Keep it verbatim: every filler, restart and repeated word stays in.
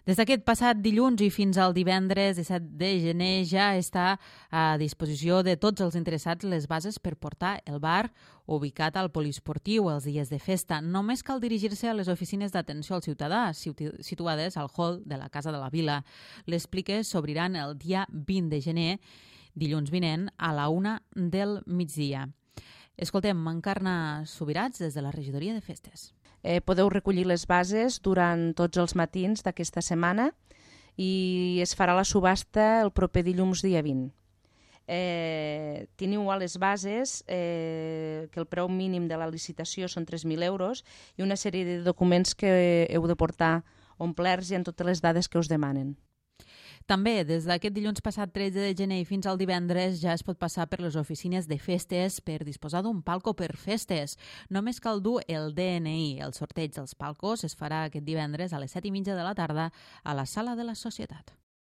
Des d'aquest passat dilluns i fins al divendres disset de gener ja està a disposició de tots els interessats les bases per portar el bar ubicat al poliesportiu els dies de festa. Només cal dirigir-se a les oficines d'atenció al ciutadà, situades al hall de la Casa de la Vila. Les pliques s'obriran el dia vint de gener, dilluns vinent, a la una del migdia. Escoltem Encarna Subirats des de la regidoria de festes. Eh, podeu recollir les bases durant tots els matins d'aquesta setmana i es farà la subhasta el proper dilluns dia vint. Eh, teniu a les bases eh, que el preu mínim de la licitació són tres mil euros i una sèrie de documents que heu de portar omplerts i amb totes les dades que us demanen. També, des d'aquest dilluns passat tretze de gener i fins al divendres ja es pot passar per les oficines de festes per disposar d'un palco per festes. Només cal dur el D N I. El sorteig dels palcos es farà aquest divendres a les set i mitja de la tarda a la Sala de la Societat.